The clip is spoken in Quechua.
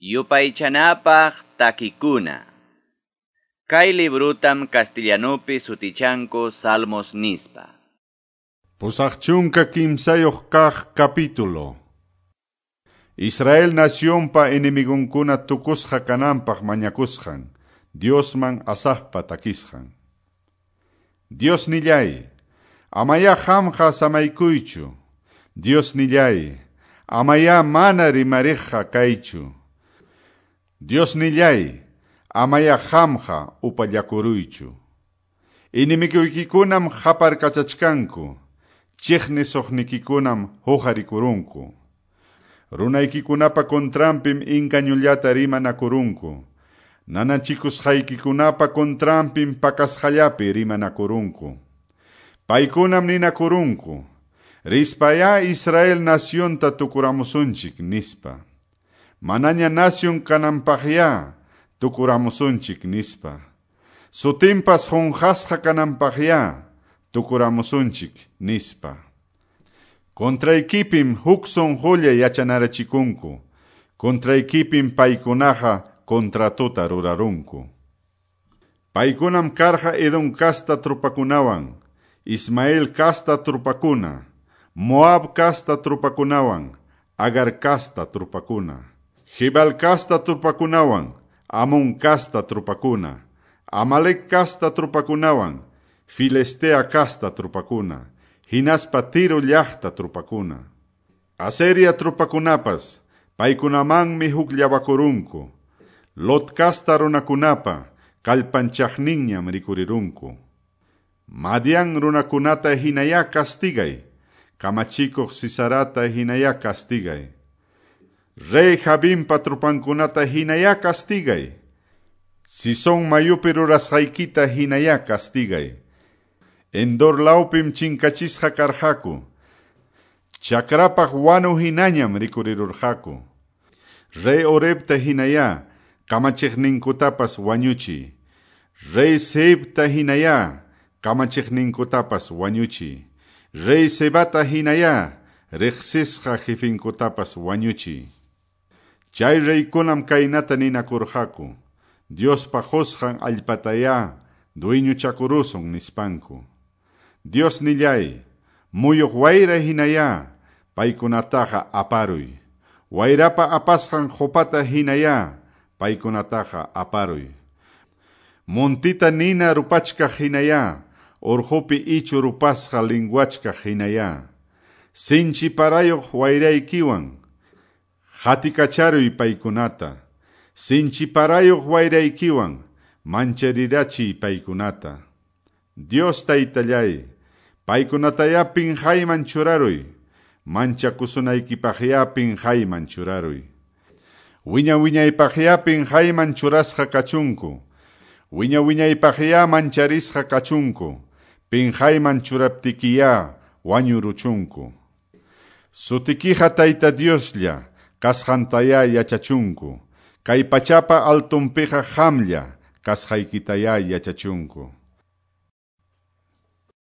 Yupaychanapaq takikuna. Kay librutam castellanupi sutichanku Salmos nispa. 83 kaq capítulo. Israel nacionpa enemigunkuna tukusqa kananpaq mañakusqan, Diosman Asafpa takisqan. Dios nillay, amaya qamqa samaykuychu. Dios nillay, amaya mana rimariqqa kaychu. Dios nillay, amaya qamqa upallakuruychu. Enemiguykikunam qaparkachachkanku, chiqnisuqnikikunam huqarikurunku. Runaykikunapa contranpim inkañullata rimanakurunku. Nanachikusqaykikunapa contranpim pakasqallapi rimanakurunku. Paykunam ninakurunku, rispaya Israel nacionta tukuramusunchik nispa. Manaña nación kananpaqya tukuramusunchik nispa. Sutinpas qunqasqa kananpaqya tukuramusunchik nispa. Contraykipim huk sunqulla yachanarachikunku. Contraykipim paykunaqa contratota rurarunku. Paykunam karqa Edom casta trupakunawan, Ismael casta trupakuna, Moab casta trupakunawan, Agar casta trupakuna, Jibal casta trupakunawan, Amón casta trupakuna, Amalek casta trupakunawan, Filistea casta trupakuna, hinaspa Tiro llaqta trupakuna. Aseria trupakunapas, paykunamanmi hukllawakurunku. Lot casta runakunapa, kallpanchaqninñam rikurirunku. Madian runakunata hinaya castigay, kamachikuq Sisarata hinaya castigay. Rey Jabinpa trupankunata hinaya castigay. Sison mayupi rurasqaykita hinaya castigay. Endor lawpim chinkachisqa karqaku. Chakrapaq wanu hinañam rikurirurqaku. Rey Orebta hinaya kamachiqninkutapas wañuchi. Rey Seibta hinaya kamachiqninkutapas wañuchi. Rey Sebata hinaya riqsisqa jefinkutapas wañuchi. Chay reykunam kaynata ninakurqaku. Diospa qusqan allpataya dueñochakurusun nispanku. Dios nillay, muyuq wayra hinaya, paykunataqa aparuy. Wayrapa apasqan qupata hinaya, paykunataqa aparuy. Montita nina rupachkaq hinaya, urqupi ichu rupasqa linguachkaq hinaya. Sinchi parayuq wayraykiwan, hatikacharuy paykunata. Sinchi parayuq wayraykiwan, mancharirachiy paykunata. Dios taytallay, paykunataya pinqayman churaruy, manchakusunaykipaqya pinqayman churaruy. Wiña wiñaypaqya pinqayman churasqa kachunku, wiña wiñaypaqya mancharisqa kachunku, pinqayman churaptikiya wañuruchunku. Sutikiqa Tayta Dioslla, kasqantaya yachachunku, kay pachapa altunpiqa qamlla, kasqaykitaya yachachunku.